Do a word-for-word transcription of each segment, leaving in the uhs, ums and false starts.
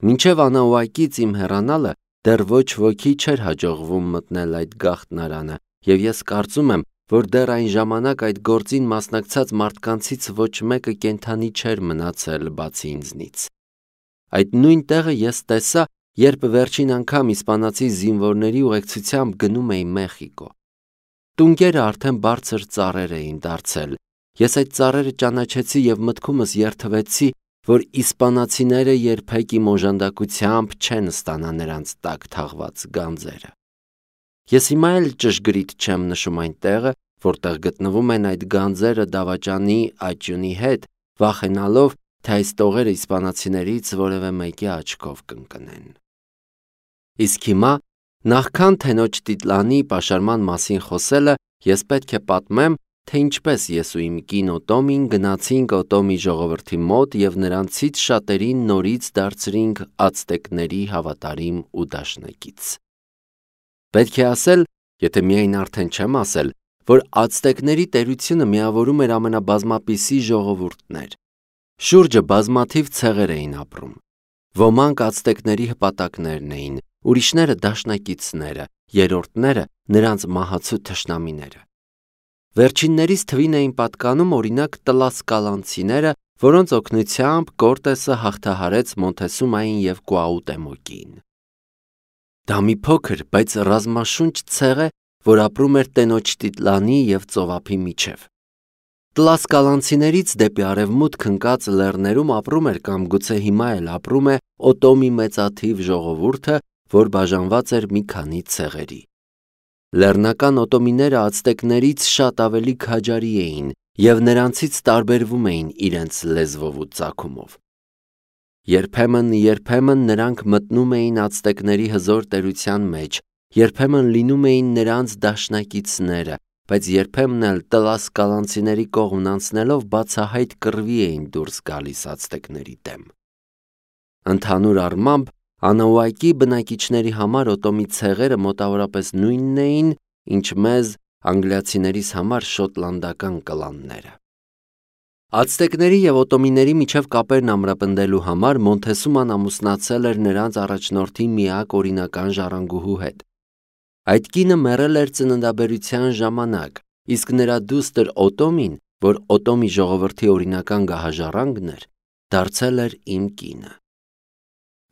Մինչև Անաուակից իմ հեռանալը դեռ ոչ ոքի չէր հաջողվում մտնել այդ գաղտնարանը, և ես կարծում եմ, որ դեռ այն ժամանակ այդ գործին մասնակցած մարդկանցից ոչ մեկը կենդանի չէր մնացել բացի ինձնից։ Այդ նույն տեղը ես տեսա, երբ վերջին անգամ իսպանացի զինվորների ուղեկցությամբ գնում էի Մեխիկո։ Տունկերը արդեն բարձր ծառեր էին դարձել։ Ես այդ ծառերը ճանաչեցի և մտքումս երդվեցի, որ իսպանացիները երբեք իմ օժանդակությամբ չեն ստանա նրանց տակ թաղված գանձերը։ Ես հիմա էլ ճշգրիտ չեմ նշում այն տեղը, որտեղ գտնվում են այդ գանձերը դավաճանի աճյունի հետ, վախենալով, թե այս տողերը իսպանացիներից որևէ մեկի աչքով կընկնեն։ Իսկ հիմա, նախքան թենոջ Տիտլանի պաշարման մասին խոսելը, ես պետք է պատմեմ, թե ինչպես ես ու իմ կին Օտոմին գնացինք Օտոմի ժողովրդի մոտ և նրանցից շատերին նորից դարձրինք ացտեկների հավատարիմ ու դաշնակից։ Պետք է ասել, եթե միայն արդեն չեմ ասել, որ ացտեկների տերությունը միավորում էր ամենաբազմապիսի ժողովուրդներ։ Շուրջը բազմաթիվ ցեղեր էին ապրում։ Ոմանք ացտեկների հպատակներն էին, ուրիշները դաշնակիցները, երրորդները նրանց մահացու թշնամիները։ Վերջիններից թվին էին պատկանում օրինակ տլասկալանցիները, որոնց օգնությամբ Կորտեսը հաղթահարեց Մոնթեսումային և Կուաուտեմոկին։ Դա մի փոքր, բայց ռազմաշունչ ցեղ է, որ ապրում էր տենոջ Տիտլանի և ծովափի միջև։ Տլասկալանցիներից դեպի արևմուտք ընկած լեռներում ապրում էր կամ գուցե հիմա էլ ապրում է Օտոմի մեծաթիվ ժողովուրդը, որ բաժանված էր մի քանի ցեղերի։ Լեռնական օտոմիները ացտեկներից շատ ավելի քաջարի էին և նրանցից տարբերվում էին իրենց լեզվով ու ծագումով։ Երբեմն, երբեմն նրանք մտնում էին ացտեկների հզոր տերության մեջ, երբեմն լինում էին նրանց դաշնակիցները, բայց երբեմն էլ տլասկալանցիների կողմն անցնելով բացահայտ կռվի էին դուրս գալիս ացտեկների դեմ։ Ընդհանուր առմամբ, Անաուակի բնակիչների համար Օտոմի ցեղերը մոտավորապես նույնն էին, ինչ մեզ անգլիացիներիս համար շոտլանդական կլանները։ Ացտեկների և օտոմիների միջև կապերն ամրապնդելու համար Մոնթեսուման ամուսնացել էր նրանց առաջնորդի միակ օրինական ժառանգուհու հետ։ Այդ կինը մեռել էր ծննդաբերության ժամանակ, իսկ նրա դուստր Օտոմին, որ Օտոմի ժողովրդի օրինական գահաժառանգն էր, դարձել էր իմ կինը։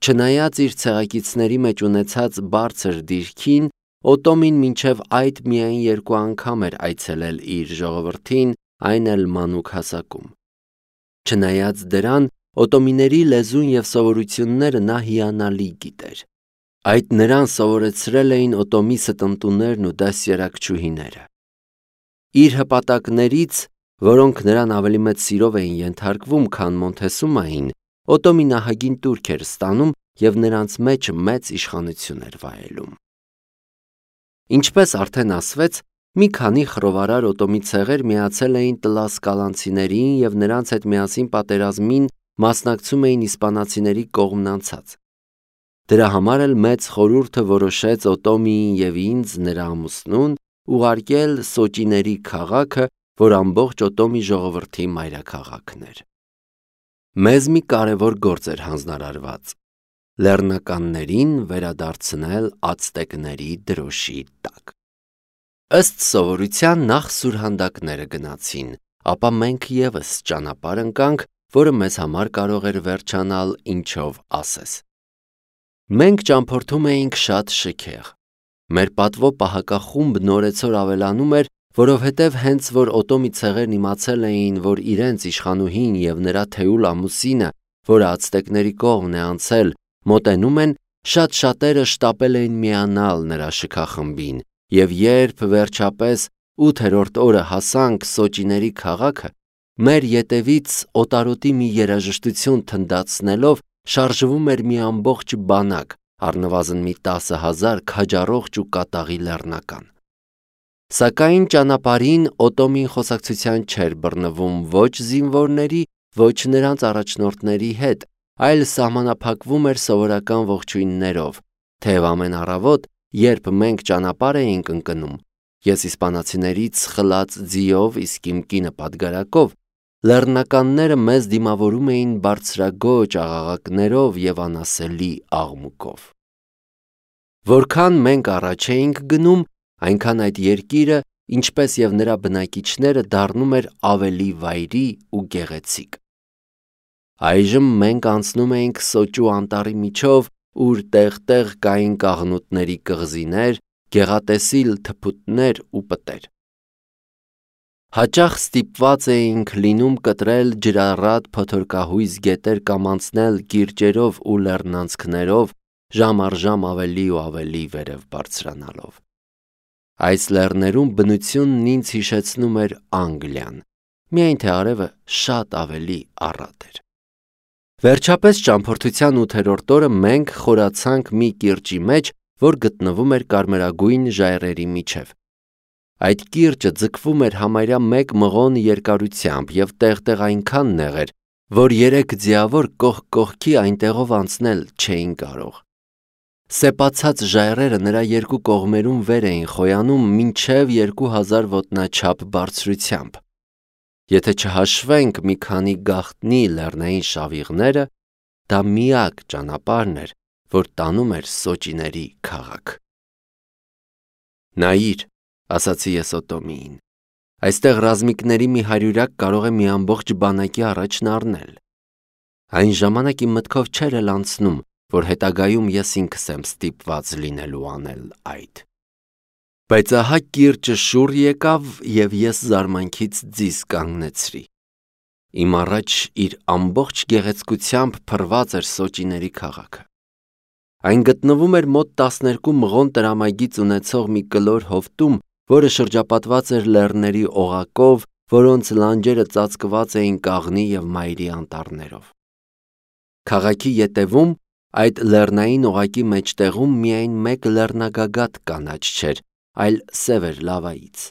Չնայած իր ցեղակիցների մեջ ունեցած բարձր դիրքին, Օտոմին մինչև այդ միայն երկու անգամ էր այցելել իր ժողովրդին, այն էլ մանուկ հասակում։ Չնայած դրան, օտոմիների լեզուն և սովորությունները նա հիանալի գիտեր։ Այդ նրան սովորեցրել էին Օտոմի ստընտուներն ու դաստիարակչուհիները։ Իր հպատակներից, որոնք նրան ավելի մեծ սիրով էին ենթարկվում, քան Մոնթեսումային, Օտոմի նահագին տուրք էր ստանում և նրանց մեջ մեծ իշխանություն էր վայելում։ Ինչպես արդեն ասվեց, մի քանի խռովարար Օտոմի ցեղեր միացել էին տլասկալանցիներին և նրանց հետ միասին պատերազմին մասնակցում էին իսպանացիների կողմն անցած։ Դրա համար էլ մեծ խորհուրդը որոշեց Օտոմիին և ինձ, նրա ամուսնուն, ուղարկել Սոճիների քաղաքը, որ ամբողջ Օտոմի ժողովրդի մայրաքաղաքն էր։ Մեզ մի կարևոր գործ էր հանձնարարված՝ լեռնականներին վերադարձնել ացտեկների դրոշի տակ։ Ըստ սովորության նախ սուրհանդակները գնացին, ապա մենք ևս ճանապարհ ընկանք, որը մեզ համար կարող էր վերջանալ ինչով ասես։ Մենք ճամփորդում էինք շատ շքեղ։ Մեր պատվո պահակախումբն օրեցօր ավելանում էր, որովհետև հենց որ Օտոմի ցեղերն իմացել էին, որ իրենց իշխանուհին և նրա թեուլ ամուսինը, որը ացտեկների կողմն է անցել, մոտենում են, շատ շատերը շտապել էին միանալ նրա շքախմբին, և երբ վերջապես ութերորդ օրը հասանք Սոճիների քաղաքը, մեր ետևից օտարոտի մի երաժշտություն թնդացնելով շարժվում էր մի ամբողջ բանակ, առնվազն մի տասը հազար քաջառողջ ու կատաղի լեռնական։ Սակայն ճանապարհին Օտոմին խոսակցության չէր բռնվում ոչ զինվորների, ոչ նրանց առաջնորդների հետ, այլ սահմանափակվում էր սովորական ողջույններով, թեև ամեն առավոտ, երբ մենք ճանապարհ էինք ընկնում, ես իսպանացիներից խլած ձիով, իսկ իմ կինը պատգարակով, Լեռնականները մեզ դիմավորում էին բարձրագոճ աղաղակներով և անասելի աղմուկով։ Որքան մենք առաջ էինք գնում, այնքան այդ երկիրը, ինչպես և նրա բնակիչները, դառնում էր ավելի վայրի ու գեղեցիկ։ Այժմ մենք անցնում էինք Սոճու անտառի միջով, ուր տեղ-տեղ կային կաղնուտների կղզիներ, գեղատեսիլ թփուտներ ու պտեր։ Հաճախ ստիպված էինք լինում կտրել ջրառատ փոթորկահույզ գետեր կամ անցնել կիրճերով ու լեռնանցքներով, ժամ առ ժամ ավելի ու ավելի վերև բարձրանալով։ Այս լեռներում բնությունն ինձ հիշեցնում էր Անգլիան, միայն թե արևը շատ ավելի առատ էր։ Վերջապես ճամփորդության ութերորդ օրը մենք խորացանք մի կիրճի մեջ, որ գտնվում էր կարմրագույն ժայռերի միջև։ Այդ կիրճը ձգվում էր համարյա մեկ մղոն երկարությամբ և տեղ-տեղ այնքան նեղ էր, որ երեք ձիավոր կողք կողքի այնտեղով անցնել չէին կարող։ Սեպացած ժայռերը նրա երկու կողմերում վեր էին խոյանում մինչև երկու հազար ոտնաչափ բարձրությամբ։ Եթե չհաշվենք մի քանի գաղտնի լեռնային շավիղները, դա միակ ճանապարհն էր, որ տանում էր սոճիների քաղաք։ «Նայիր», ասացի ես Օտոմիին, «այստեղ ռազմիկների մի հարյուրյակ կարող է մի ամբողջ բանակի առաջն առնել»։ Այն ժամանակ իմ մտքով չէր էլ անցնում, որ հետագայում ես ինքս եմ ստիպված լինելու անել այդ։ Բայց ահա կիրճը շուռ եկավ, և ես զարմանքից ձիզ կանգնեցրի։ Իմ առաջ իր ամբողջ գեղեցկությամբ փռված էր սոճիների քաղաքը։ Այն գտնվում էր մոտ տասներկու մղոն տրամագիծ ունեցող մի կլոր հովտում, որը շրջապատված էր լեռների օղակով, որոնց լանջերը ծածկված էին կաղնի և մայրի անտառներով։ Քաղաքի ետևում, այդ լեռնային օղակի մեջտեղում միայն մեկ լեռնագագաթ կանաչ չէր, այլ սև էր լավայից։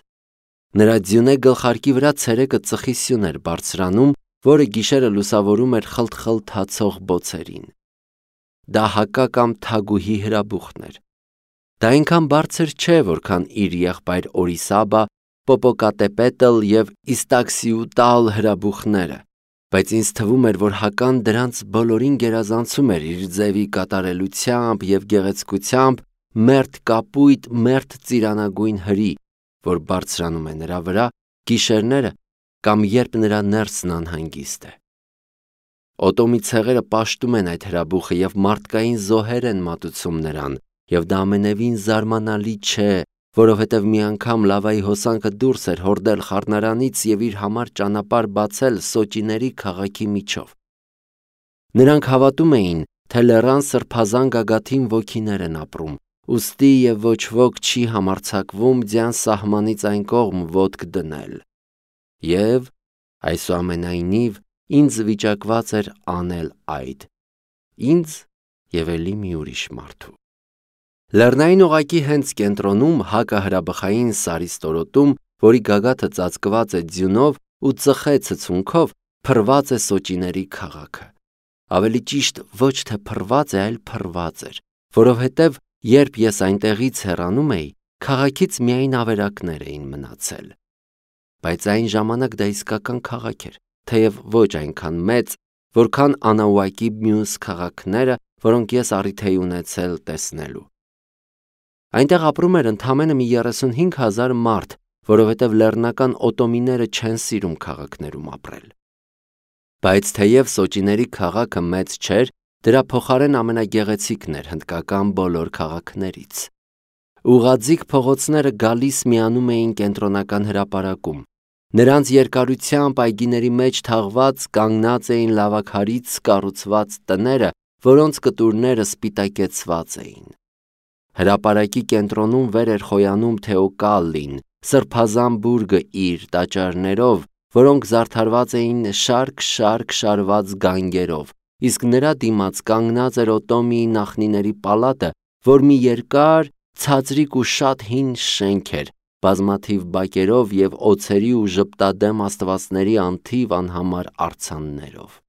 Նրա ձյունե գլխարկի վրա ցերեկը ծխի սյուն էր բարձրանում, որը գիշերը լուսավորում էր խլթ-խլթացող բոցերին։ Դա հակա կամ թագուհի հրաբուխն էր։ Դա այնքան բարձր չէ, որքան իր եղբայր Օրիսաբա, Պոպոկատեպետլ և Իստաքսիուտալ հրաբուխները, բայց ինձ թվում էր, որ հական դրանց բոլորին գերազանցում էր իր ձևի կատարելությամբ և գեղեցկությամբ, մերթ կապույտ, մերթ ծիրանագույն հրի, որ բարձրանում է նրա վրա գիշերները կամ երբ նրա ներսն անհանգիստ է։ Օտոմի ցեղերը պաշտում են այդ հրաբուխը և մարդկային զոհեր են մատուցում նրան, և դա ամենևին զարմանալի չէ, որովհետև մի անգամ լավայի հոսանքը դուրս էր հորդել խառնարանից և իր համար ճանապարհ բացել սոճիների քաղաքի միջով։ Նրանք հավատում էին, թե լեռան սրբազան գագաթին ոգիներ են ապրում, ուստի և ոչ ոք չի համարձակվում ձյան սահմանից այն կողմ ոտք դնել։ Եվ, այսուամենայնիվ, ինձ վիճակված էր անել այդ, ինձ և էլի մի ուրիշ մարդու։ Լեռնային օղակի հենց կենտրոնում, հակահրաբխային սարի ստորոտում, որի գագաթը ծածկված է ձյունով ու ծխե ցցունքով, փռված է սոճիների քաղաքը։ Ավելի ճիշտ, ոչ թե փռված է, այլ փռված էր, որովհետև երբ ես այնտեղից հեռանում էի, քաղաքից միայն ավերակներ էին մնացել։ Բայց այն ժամանակ դա իսկական քաղաք էր, թեև ոչ այնքան մեծ, որքան Անաուակի մյուս քաղաքները, որոնք ես առիթ էի ունեցել տեսնելու։ Այնտեղ ապրում էր ընդամենը մի երեսունհինգ հազար մարդ, որովհետև լեռնական օտոմիները չեն սիրում քաղաքներում ապրել։ Բայց թեև սոճիների քաղաքը մեծ չէր, դրա փոխարեն ամենագեղեցիկն էր հնդկական բոլոր քաղաքներից։ Ուղղաձիգ փողոցները գալիս միանում էին կենտրոնական հրապարակում։ Նրանց երկարությամբ այգիների մեջ թաղված կանգնած էին լավաքարից կառուցված տները, որոնց կտուրները սպիտակեցված էին։ Հրապարակի կենտրոնում վեր էր խոյանում Թեոկալլին, սրբազան բուրգը իր տաճարներով, որոնք զարդարված էին շարք-շարք շարված գանգերով, իսկ նրա դիմաց կանգնած էր Օտոմիի նախնիների պալատը, որ մի երկար, ցածրիկ ու շատ հին շենք էր, բազմաթիվ բակերով և օձերի ու ժպտադեմ աստվածների անթիվ անհամար արձաններով։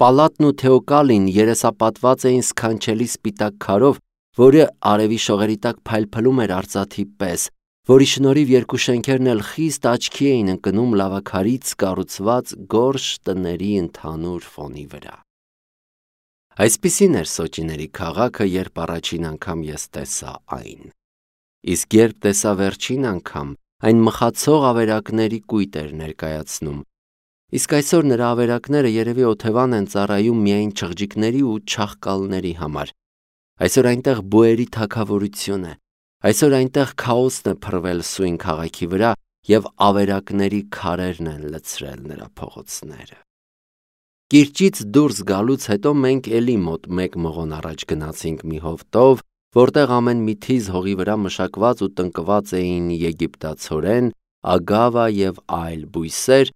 Պալատն ու Թեոկալին երեսապատված էին սքանչելի սպիտակ քարով, որը արևի շողերի տակ փայլփլում էր արծաթի պես, որի շնորհիվ երկու շենքերն էլ խիստ աչքի էին ընկնում լավաքարից կառուցված գորշ տների ընդհանուր ֆոնի վրա։ Այսպիսին էր Սոճիների քաղաքը, երբ առաջին անգամ ես տեսա այն։ Իսկ երբ տեսա վերջին անգամ, այն մխացող ավերակների կույտ էր ներկայացնում։ Իսկ այսօր նրա ավերակները երևի օթևան են ծառայում միայն չղջիկների ու չաղկալների համար։ Այսօր այնտեղ բուերի թագավորություն է։ Այսօր այնտեղ քաոսն է փռվել սույն քաղաքի վրա և ավերակների քարերն են լցրել նրա փողոցները։ Կիրճից դուրս գալուց հետո մենք էլի մոտ մեկ մղոն առաջ գնացինք մի հովտով, որտեղ ամեն մի թիզ հողի վրա մշակված ու տնկված էին եգիպտացորեն, ագավա և այլ բույսեր,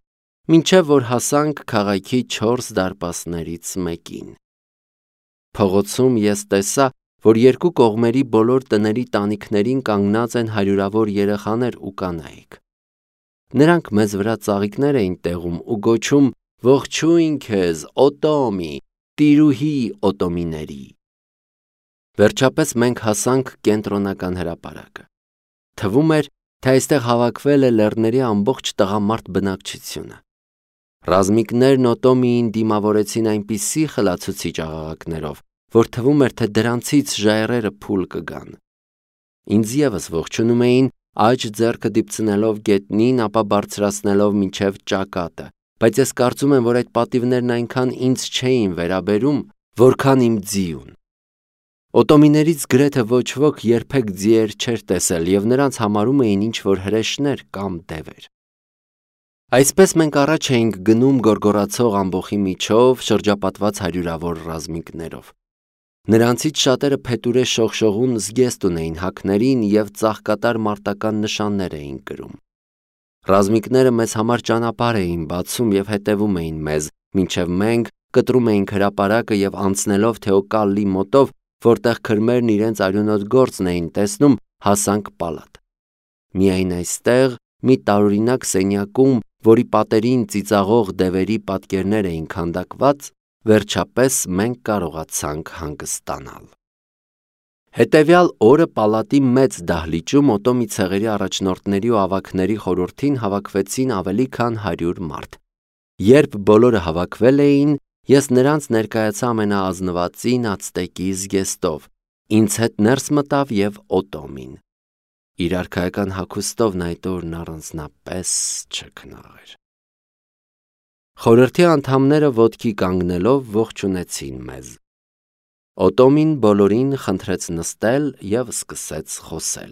մինչև որ հասանք քաղաքի չորս դարպասներից մեկին։ Փողոցում ես տեսա, որ երկու կողմերի բոլոր տների տանիքներին կանգնած են հարյուրավոր երեխաներ ու կանայք։ Նրանք մեզ վրա ծաղիկներ էին տեղում ու գոչում «Ողջույն քեզ, Օտոմի, տիրուհի Օտոմիների»։ Վերջապես մենք հասանք կենտրոնական հրապարակը։ Թվում էր, թե այստեղ հավաքվել է լեռների ամբողջ տղամարդ բնակչությունը։ Ռազմիկներն Օտոմիին դիմավորեցին այնպիսի խլացուցիչ աղաղակներով, որ թվում էր, թե դրանցից ժայռերը փուլ կգան։ Ինձ ևս ողջունում էին, աջ ձեռքը դիպցնելով գետնին, ապա բարձրացնելով մինչև ճակատը, բայց ես կարծում եմ, որ այդ պատիվներն այնքան ինձ չէին վերաբերում, որքան իմ ձիուն։ Օտոմիներից գրեթե ոչ ոք երբեք ձիեր չէր տեսել և նրանց համարում էին ինչ-որ հրեշներ կամ դևեր։ Այսպես մենք առաջ էինք գնում գորգորացող ամբոխի միջով, շրջապատված հարյուրավոր ռազմիկներով։ Նրանցից շատերը փետուրե շողշողուն զգեստ ունեին հագներին և ծաղկատար մարտական նշաններ էին կրում։ Ռազմիկները մեզ համար ճանապարհ էին բացում և հետևում էին մեզ, մինչև մենք կտրում էինք հրապարակը և անցնելով Թեոկալլի մոտով, որտեղ քրմերն իրենց արյունոտ գործն էին տեսնում, հասանք պալատ։ Միայն այստեղ, մի տարօրինակ սենյակում, որի պատերին ծիծաղող դևերի պատկերներ էին քանդակված, վերջապես մենք կարողացանք հանգստանալ։ Հետևյալ օրը պալատի մեծ դահլիճում Օտոմի ցեղերի առաջնորդների ու ավագների խորհրդին հավաքվեցին ավելի քան հարյուր մարդ։ Երբ բոլորը հավաքվել էին, ես նրանց ներկայացա ամենաազնվածին ացտեկի զգեստով, ինձ հետ ներս մտավ և Օտոմին։ Իր արքայական հագուստով նա այդ օրն առանձնապես չքնաղ էր։ Խորհրդի անդամները ոտքի կանգնելով ողջունեցին մեզ։ Օտոմին բոլորին խնդրեց նստել և սկսեց խոսել։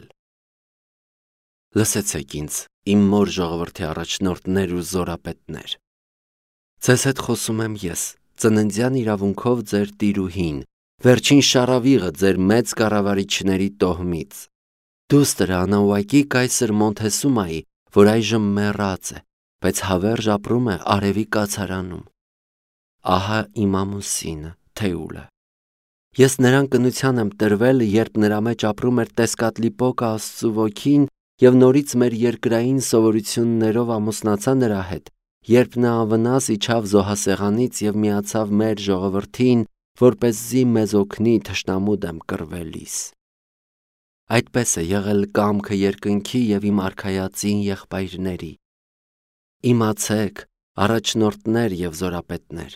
Լսեցեք ինձ, իմ մոր ժողովրդի առաջնորդներ ու զորապետներ։ Ձեզ հետ խոսում եմ ես, ծննդյան իրավունքով ձեր տիրուհին, վերջին շառավիղը ձեր մեծ կառավարիչների տոհմից, դուստր անուակի կայսր Մոնթեսումայի, որ այժմ մեռած է, բայց հավերժ ապրում է արևի կացարանում։ Ահա իմ ամուսինը, Թեուլը։ Ես նրան կնության եմ տրվել, երբ նրա մեջ ապրում էր Տեսկատլիպոկը Աստծու ոգին և նորից մեր երկրային սովորություններով ամուսնացա նրա հետ, երբ նա անվնաս իջավ զոհասեղանից և միացավ մեր ժողովրդին, որպեսզի մեզ օգնի թշնամու դեմ կռվելիս։ Այդպես է եղել կամքը երկնքի և իմ արքայածին եղբայրների։ Իմացեք, առաջնորդներ և զորապետներ,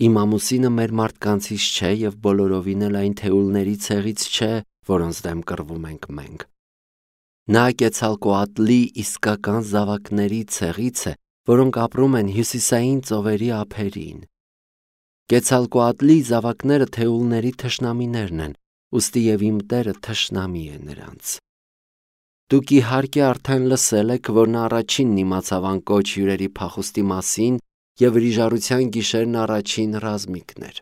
իմ ամուսինը մեր մարդկանցից չէ և բոլորովին էլ այն Թեուլների ցեղից չէ, որոնց դեմ կռվում ենք մենք։ Նա Կեցալկոատլի իսկական զավակների ցեղից է, որոնք ապրում են հյուսիսային ծովերի ափերին։ Կեցալկոատլի զավակները Թեուլների թշնամիներն են, ուստի և իմ տերը թշնամի է նրանց։ Դուք իհարկե արդեն լսել եք, որ նա առաջինն իմացավ անկոչ հյուրերի փախուստի մասին և վրիժառության գիշերն առաջին ռազմիկն էր։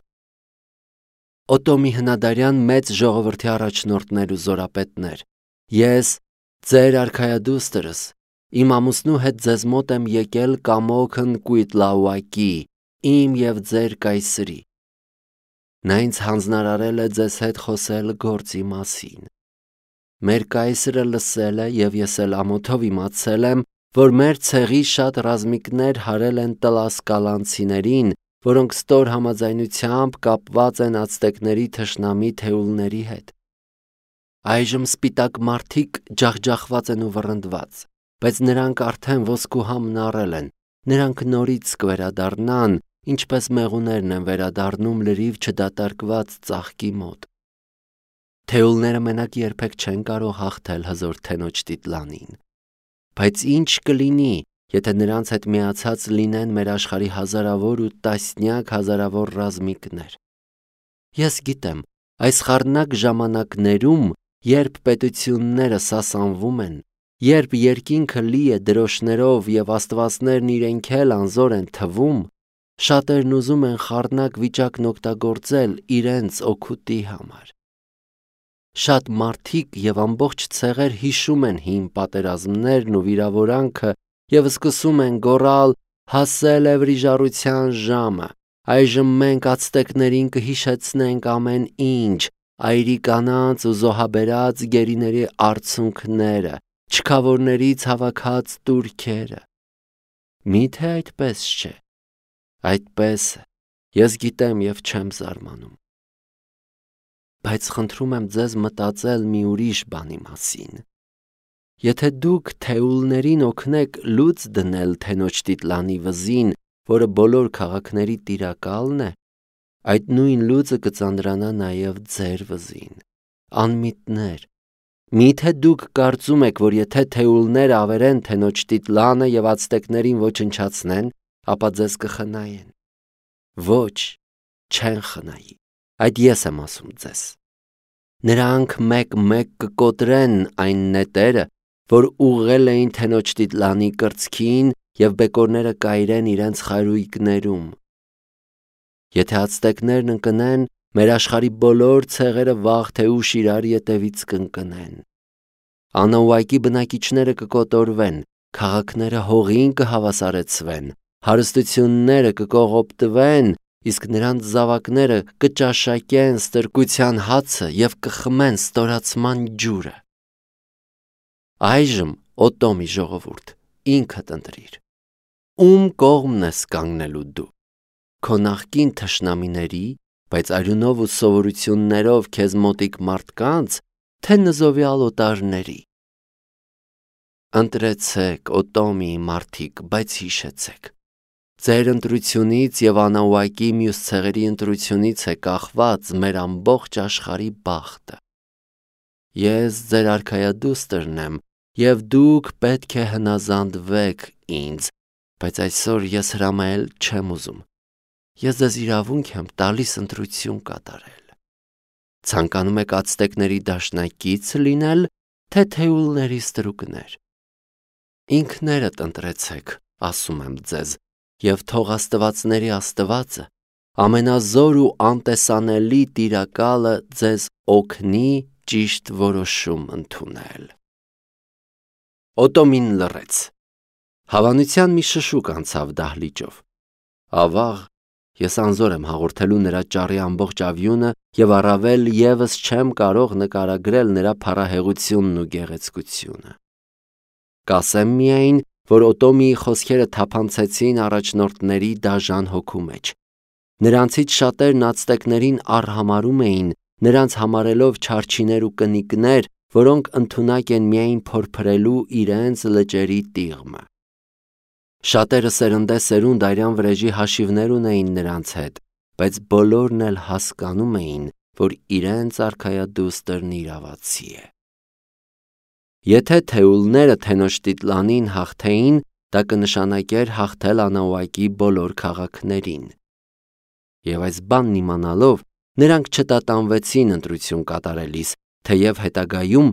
Օտոմի հնադարյան մեծ ժողովրդի առաջնորդներ ու զորապետներ, ես, ձեր արքայադուստրս, իմ ամուսնու հետ ձեզ մոտ եմ եկել կամոքն Կույտլաուակի, իմ և ձեր կայսրի։ Նա ինձ հանձնարարել է ձեզ հետ խոսել գործի մասին։ Մեր կայսրը լսել է և ես էլ ամոթով իմացել եմ, որ մեր ցեղի շատ ռազմիկներ հարել են տլասկալանցիներին, որոնք ստոր համաձայնությամբ կապված են ացտեկների թշնամի Թեուլների հետ։ Այժմ սպիտակ մարդիկ ջախջախված են ու վռնդված, բայց նրանք արդեն ոսկու համն առել են, նրանք նորից կվերադառնան, ինչպես մեղուներն են վերադառնում լրիվ չդատարկված ծաղկի մոտ։ Թեուլները մենակ երբեք չեն կարող հաղթել հզոր թենոջ տիտլանին, բայց ինչ կլինի, եթե նրանց հետ միացած լինեն մեր աշխարհի հազարավոր ու տասնյակ հազարավոր ռազմիկներ։ Ես գիտեմ, այս խառնակ ժամանակներում, երբ պետությունները սասանվում են, երբ երկինքը լի է դրոշներով և աստվածներն իրենք էլ անզոր են թվում, շատերն ուզում են խառնակ վիճակն օգտագործել իրենց օգուտի համար։ Շատ մարդիկ և ամբողջ ցեղեր հիշում են հին պատերազմներն ու վիրավորանքը և սկսում են գոռալ. «Հասել է վրիժառության ժամը, այժմ մենք ացտեկներին կհիշեցնենք ամեն ինչ, այրի կանանց ու զոհաբերած գերիների արցունքները, չքավորներից հավաքած տուրքերը»։ Մի՞թե այդպես չէ։ Այդպես է, ես գիտեմ և չեմ զարմանում։ Բայց խնդրում եմ ձեզ մտածել մի ուրիշ բանի մասին։ Եթե դուք թեուլներին օգնեք լուծ դնել թենոջ տիտլանի վզին, որը բոլոր քաղաքների տիրակալն է, այդ նույն լուծը կծանրանա նաև ձեր վզին։ Անմիտներ, մի՞թե դուք կարծում եք, որ եթե թեուլները ավերեն թենոջ տիտլանը և ացտեկներին ոչնչացնեն, ապա ձեզ կխնայեն։ Ոչ, չեն խնայի, այդ ես եմ ասում ձեզ։ Նրանք մեկ-մեկ կկոտրեն այն նետերը, որ ուղղել էին թենոջ տիտլանի կրծքին և բեկորները կայրեն իրենց խարույկներում։ Եթե ացտեկներն ընկնեն, մեր աշխարհի բոլոր ցեղերը վաղ թե ուշ իրար ետևից կընկնեն։ Անահուակի բնակիչները կկոտորվեն, քաղաքները հողին կհավասարեցվեն, հարստությունները կկողոպտվեն, իսկ նրանց զավակները կճաշակեն ստրկության հացը և կխմեն ստորացման ջուրը։ Այժմ, Օտոմի ժողովուրդ, ինքդ ընտրիր, ում կողմն ես կանգնելու դու, քո նախկին թշնամիների, բայց արյունով ու սովորություններով քեզ մոտիկ մարդկանց, թե նզովյալ օտարների։ Ընտրեցեք, Օտոմի մարդիկ, բայց հիշեցեք, ձեր ընտրությունից և Անահուակի մյուս ցեղերի ընտրությունից է կախված մեր ամբողջ աշխարհի բախտը։ Ես ձեր արքայադուստրն եմ, և դուք պետք է հնազանդվեք ինձ, բայց այսօր ես հրամայել չեմ ուզում։ Ես ձեզ իրավունք եմ տալիս ընտրություն կատարել։ Ցանկանում եք ացտեկների դաշնակից լինել, թե թեուլների ստրուկներ։ Ինքներդ ընտրեցեք, ասում եմ ձեզ, և թող աստվածների Աստվածը, ամենազոր ու անտեսանելի Տիրակալը ձեզ օգնի ճիշտ որոշում ընդունել։ Օտոմին լռեց։ Հավանության մի շշուկ անցավ դահլիճով։ Ավաղ, ես անզոր եմ հաղորդելու նրա ճառի ամբողջ ավյունը և առավել ևս չեմ կարող նկարագրել նրա փառահեղությունն ու գեղեցկությունը։ Կասեմ միայն, որ Օտոմիի խոսքերը թափանցեցին առաջնորդների դաժան հոգու մեջ։ Նրանցից շատերն ացտեկներին առհամարում էին, նրանց համարելով չարչիներ ու կնիկներ, որոնք ընդունակ են միայն փորփրելու իրենց լճերի տիղմը։ Շատերը սերնդեսերունդ արյան վրեժի հաշիվներ ունեին նրանց հետ, բայց բոլորն էլ հասկանում էին, որ իրենց արքայադուստրն իրավացի է։ Եթե թեուլները թենոջ տիտլանին հաղթեին, դա կնշանակեր հաղթել Անահուակի բոլոր քաղաքներին։ Եվ այս բանն իմանալով, նրանք չտատանվեցին ընտրություն կատարելիս, թեև հետագայում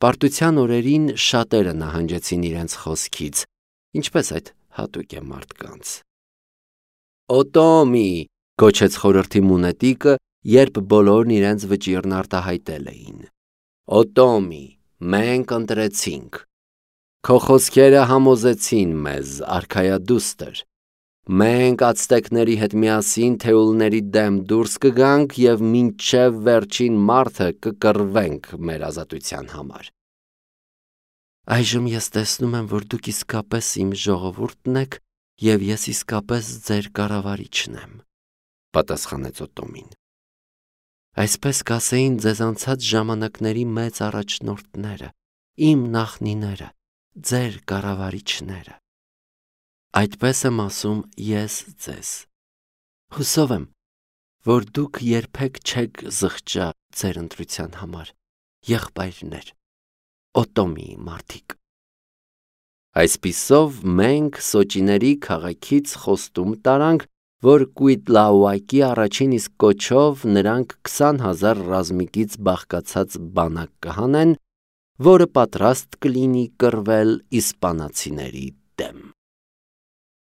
պարտության օրերին շատերը նահանջեցին իրենց խոսքից, ինչպես այդ հատուկ է մարդկանց։ Օտոմի, գոչեց խորհրդի մունետիկը, երբ բոլորն իրենց վճիռն արտահայտել էին։ Օտոմի, մենք ընտրեցինք։ Քո խոսքերը համոզեցին մեզ, արքայադուստր։ Մենք ացտեկների հետ միասին թեուլների դեմ դուրս կգանք և մինչև վերջին մարդը կկռվենք մեր ազատության համար։ Այժմ ես տեսնում եմ, որ դուք իսկապես իմ ժողովուրդն եք, և ես իսկապես ձեր կառավարիչն եմ, պատասխանեց Օտոմին։ Այսպես կասեին ձեզ անցած ժամանակների մեծ առաջնորդները, իմ նախնիները, ձեր կառավարիչները։ Այդպես եմ ասում ես ձեզ։ Հուսով եմ, որ դուք երբեք չեք զղջա ձեր ընտրության համար, եղբայրներ, Օտոմիի մարդիկ։ Այսպիսով մենք Սոճիների քաղաքից խոստում տարանք, որ Կուիտլաուակի առաջին իսկ կոչով նրանք քսան հազար ռազմիկից բաղկացած բանակ կհանեն, որը պատրաստ կլինի կռվել իսպանացիների